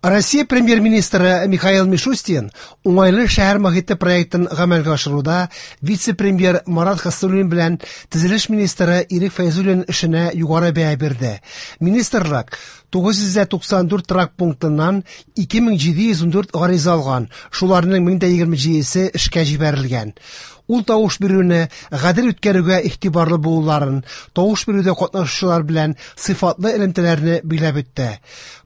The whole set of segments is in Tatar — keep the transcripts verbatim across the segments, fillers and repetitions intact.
Россия премьер-министры Михаил Мишустин уңайлы шәһәр мохите проектын гамәлгә ашыруда вице-премьер Марат Хәснуллин белән төзелеш министры Ирек Фәйзуллин эшенә югары бәя бирде. Министрлык тугыз йөз туксан дүрт торак пунктыннан ике мең җиде йөз ун дүрт гариза алган, шуларның мең дә егерме җидесе эшкә җибәрелгән. Ул тавыш бирүне гадел үткәрүгә игътибарлы булуларын, тавыш бирүдә катнашучылар белән сыйфатлы элемтәләрне биләп үтте.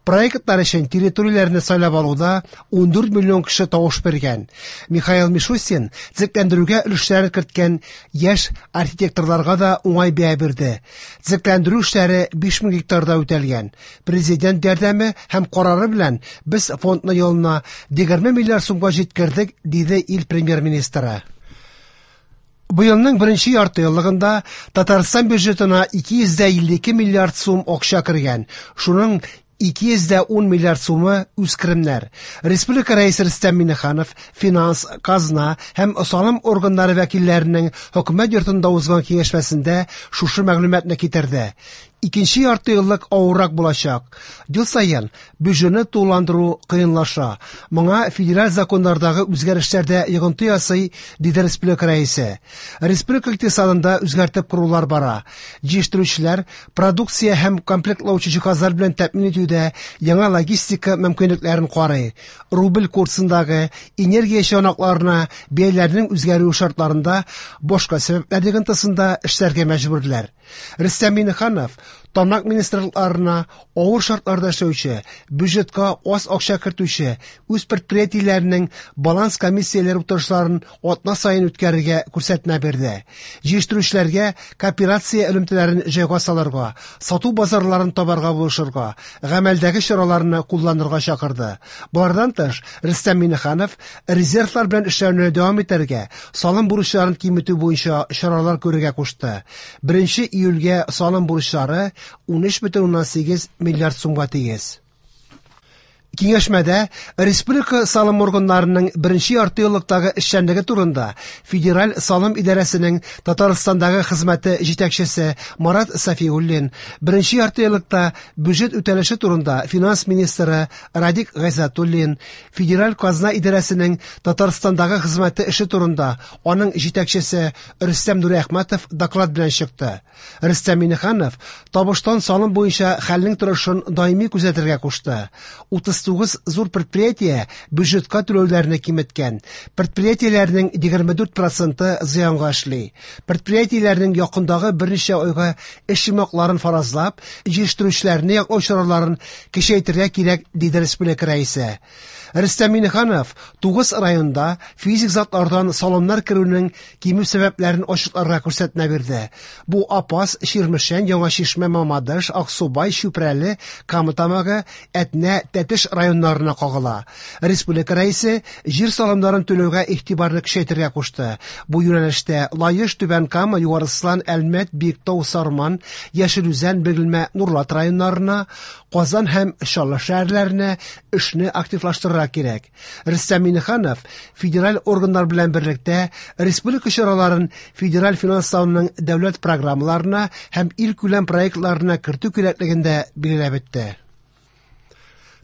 Проектлар өчен территорияләрне сайлап алуда ун дүрт миллион кеше тавыш биргән. Михаил Мишустин төзекләндерүгә өлешләрен керткән яшь архитекторларга да уңай бәя бирде. Төзекләндерү эшләре биш мең гектарда үтәлгән. Президент ярдәме һәм карары белән без фондны елына егерме миллиард сумга җиткердек, диде ил премьер-министры. Быелның беренче ярты еллыгында Татарстан бюджетына ике йөз дә илле ике миллиард сум акча кергән. Шуның ике йөз дә ун миллиард сумы үз керемнәр. Республика рәисе Рөстәм Миңнеханов финанс, казна һәм салым органнары вәкилләренең хөкүмәт йортында узган киңәшмәсендә шушы мәгълүматны китерде. Икенче ярты еллык авыррак булачак. Ел саен бюджетны тулыландыру кыенлаша. Моңа федераль законнардагы үзгәрешләр дә йогынты ясый, диде республика рәисе. Республика икътисадында үзгәртеп корулар бара. Җитештерүчеләр продукция һәм комплектлаучы җиһазлар белән тәэмин итүдә яңа логистика мөмкинлекләрен карый. Рубль курсындагы энергия чыганакларына бәяләрнең үзгәрүе шартларында башка сәбәпләр йогынтысында эшләргә мәҗбүрләр. Рөстәм Миңнеханов тармак министрлыкларына авыр шартларда эшләүче, бюджетка аз акча кертүче үз предприятиеләренең баланс комиссияләре утырышларын атна саен үткәрергә күрсәтмә бирде. Җитештерүчеләргә кооперация элемтәләрен җайга салырга, сату базарларын табарга булышырга, гамәлдәге чараларны кулланырга чакырды. Болардан тыш, Рөстәм Миңнеханов резервлар белән эшләүне дәвам итәргә, салым бурычларын киметү буенча чаралар күрергә кушты. Беренче июльгә салым бурычлары ун өч бөтен уннан сигез миллиард сумга тигез. Киңәшмәдә республика салым органнарының беренче ярты еллыктагы эшчәнлеге турында Федераль салым идарәсенең Татарстандагы хезмәте җитәкчесе Марат Сафиуллин, беренче ярты еллыкта бюджет үтәлеше турында финанс министры Радик Гайзатуллин, Федераль казна идарәсенең Татарстандагы хезмәте эше турында аның җитәкчесе Рөстәм Нуриәхмәтов доклад белән чыкты. Рөстәм Миңнеханов табыштан салым буенча хәлнең торышын даими күзәтергә кушты. Утыз тугыз зур предприятие бюджетка түләүләрне киметкән. Предприятиеләрнең егерме дүрт проценты зыянга эшли. Предприятиеләрнең якындагы берничә айга эш йомгакларын фаразлап, җитештерүчеләрне яклау чараларын көчәйтергә кирәк, диде республика рәисе. Рөстәм Миңнеханов тугыз районда физик затлардан салымнар керүнең кимү сәбәпләрен ачыкларга күрсәтмә бирде. Бу Апас, Чирмешән, Яңа Чишмә, Мамадыш, Аксубай, Чүпрәле, Кама Тамагы, Әтнә, Тәтеш районнарына кагыла. Республика рәисе җир салымнарын түләүгә игътибарны көчәйтергә кушты. Бу юнәлештә Лаеш, Түбән Кама, Югары Слан, Әлмәт, Биектау, Сарман, Яшел Үзән, Бөгелмә, Нурлат районнарына, Казан һәм Чаллы шәһәрләренә эшне активлаштырырга кирәк. Рөстәм Миңнеханов федераль органнар белән берлектә республика чараларын федераль финанслауның дәүләт программаларына һәм илкүләм проектларына кертү кирәклеген дә билгеләп үтте.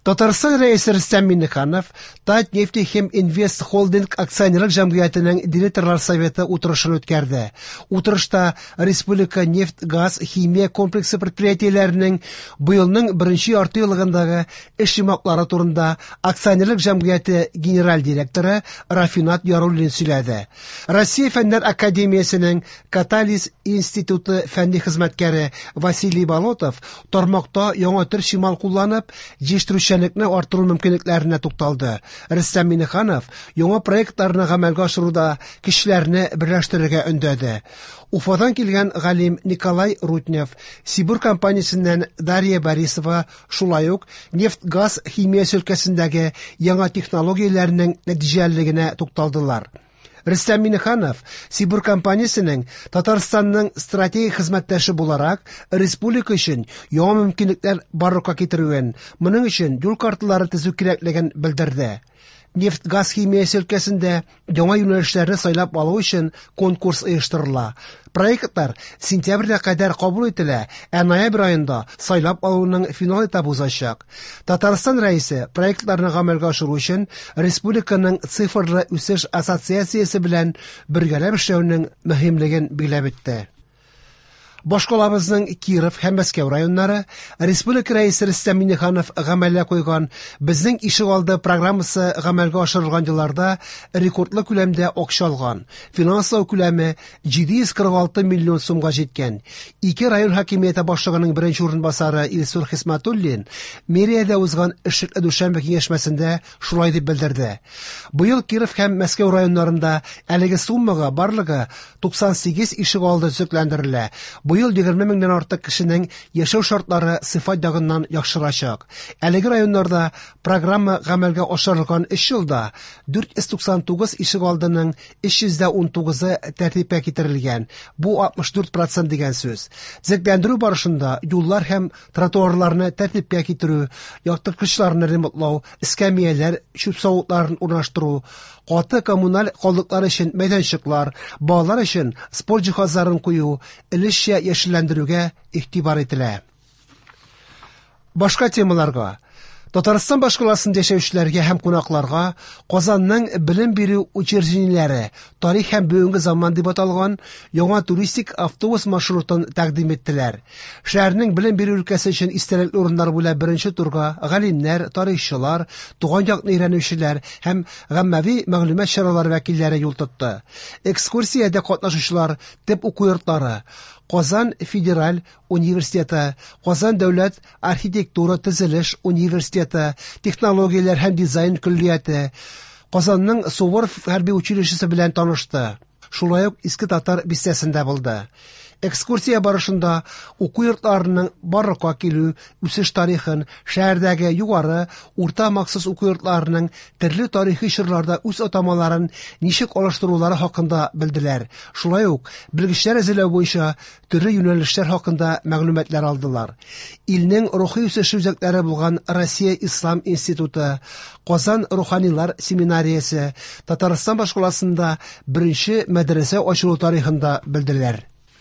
Татарстан рәисе Рөстәм Миңнеханов Татнефтехим Инвест Холдинг акционерлык җәмгыятенең директорлар советы утырышын үткәрде. Утырышта республика нефть-газ химия комплексы предприятиеләренең быелның беренче ярты еллыгындагы эш йомгаклары турында акционерлык җәмгыяте генераль директоры Рафинат Яруллин сөйләде. Россия Фәннәр академиясенең Катализ институты фәнни хезмәткәре Василий Болотов тармакта яңа төр чимал кулланып, җитештерүче эшчәнлекне арттыру мөмкинлекләренә тукталды. Рөстәм Миңнеханов яңа проектларны гамәлгә ашыруда кешеләрне берләштерергә өндәде. Уфадан килгән галим Николай Руднев, Сибур компаниясеннән Дарья Борисова шулай ук нефть-газ химиясе өлкәсендәге яңа технологияләрнең нәтиҗәлелегенә тукталдылар. Рөстәм Миңнеханов Сибур компаниясенең Татарстанның стратегик хезмәттәше буларак республика өчен яңа мөмкинлекләр барлыкка китерүен, моның өчен юл карталары төзү кирәклеген белдерде. Нефть-газ химиясе өлкәсендә яңа юнәлешләрне сайлап алу өчен конкурс оештырыла. Проектлар сентябрьгә кадәр кабул ителә, ә ноябрь аенда сайлап алуның финал этабы узачак. Татарстан Рәисе проектларны гамәлгә ашыру өчен республиканың цифрлы үсеш ассоциациясе белән бергәләп эшләүнең мөһимлеген билгеләп үтте. Башкалабызның Киров һәм Мәскәү районнары Республика Рәисе Рөстәм Миңнеханов гамәлгә куйган Безнең ишегалды программасы гамәлгә ашырылган елларда рекордлы күләмдә акча алган. Финанслау күләме җиде йөз кырык алты миллион сумга җиткән. Ике район хакимияте башлыгының беренче урынбасары Илсур Хисматуллин мэриядә узган эшлекле дүшәмбе киңәшмәсендә шулай дип белдерде. Быел Киров һәм Мәскәү районнарында әлеге суммага барлыгы туксан сигез ишегалды төзекләндерелә. Быел егерме меңнән артык кешенең яшәү шартлары сыйфат ягыннан яхшырачак. Әлеге районнарда программа гамәлгә ашырылган өч елда дүрт йөз туксан тугыз ишегалдының өч йөз дә ун тугызы тәртипкә китерелгән. Бу алтмыш дүрт процент дигән сүз. Төзекләндерү барышында юллар һәм тротуарларны тәртипкә китерү, яктырткычларны ремонтлау, эскәмияләр, чүп савытларын урнаштыру, каты коммуналь калдыклар өчен мәйданчыклар, балалар өчен спорт җиһазларын кую, өлешчә яшелләндерүгә игътибар ителә. Башка темаларга. Татарстан башкаласында яшәүчеләргә һәм кунакларга Казанның белем бирү учреждениеләре тарих һәм бүгенге заман дип аталган яңа туристик автобус маршрутын тәкъдим иттеләр. Шәһәрнең белем бирү өлкәсе өчен истәлекле урыннар буйлап беренче турга галимнәр, тарихчылар, туган якны өйрәнүчеләр һәм гаммәви мәгълүмат чаралары вәкилләре юл тотты. Экскурсиядә катнашучылар төп уку йортлары Казан федераль университеты, Казан дәүләт архитектура төзелеш университеты, технологияләр һәм дизайн көллияте, Казанның Суворов хәрби училищесы белән танышты. Шулай ук Иске Татар бистәсендә булды. Экскурсия барышында уку йортларының барлыкка килү, үсеш тарихын, шәһәрдәге югары, урта махсус уку йортларының төрле тарихи чорларда үз атамаларын ничек алыштырулары хакында белделәр. Шулай ук белгечләр әзерләү буенча төрле юнәлешләр хакында мәгълүматлар алдылар. Илнең рухи үсеше үзәкләре булган Россия Ислам институты, Казан руханилар семинариясе, Татарстан башкаласында беренче мәдрәсә ачылу тарихында белделәр.